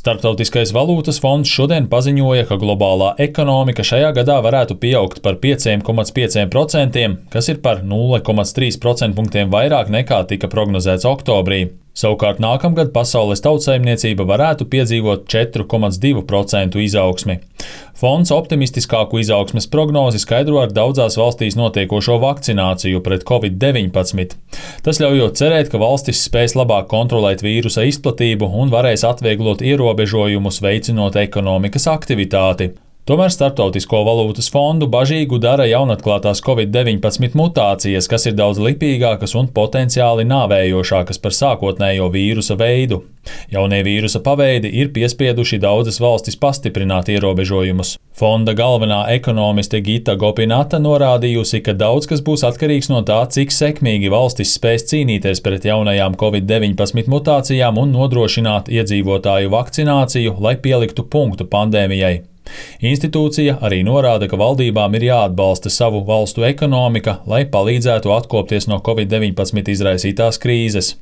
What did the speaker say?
Starptautiskais valūtas fonds šodien paziņoja, ka globālā ekonomika šajā gadā varētu pieaugt par 5,5%, kas ir par 0,3 procentpunktiem vairāk nekā tika prognozēts oktobrī. Savukārt nākamgad pasaules tautsaimniecība varētu piedzīvot 4,2% izaugsmi. Fonds optimistiskāku izaugsmes prognozi skaidro ar daudzās valstīs notiekošo vakcināciju pret Covid-19. Tas ļaujot cerēt, ka valstis spēs labāk kontrolēt vīrusa izplatību un varēs atvieglot ierobežojumus, veicinot ekonomikas aktivitāti. Tomēr Starptautisko valūtas fondu bažīgu dara jaunatklātās Covid-19 mutācijas, kas ir daudz lipīgākas un potenciāli nāvējošākas par sākotnējo vīrusa veidu. Jaunie vīrusa paveidi ir piespieduši daudzas valstis pastiprināt ierobežojumus. Fonda galvenā ekonomiste Gita Gopinata norādījusi, ka daudz kas būs atkarīgs no tā, cik sekmīgi valstis spēs cīnīties pret jaunajām Covid-19 mutācijām un nodrošināt iedzīvotāju vakcināciju, lai pieliktu punktu pandēmijai. Institūcija arī norāda, ka valdībām ir jāatbalsta savu valstu ekonomika, lai palīdzētu atkopties no Covid-19 izraisītās krīzes.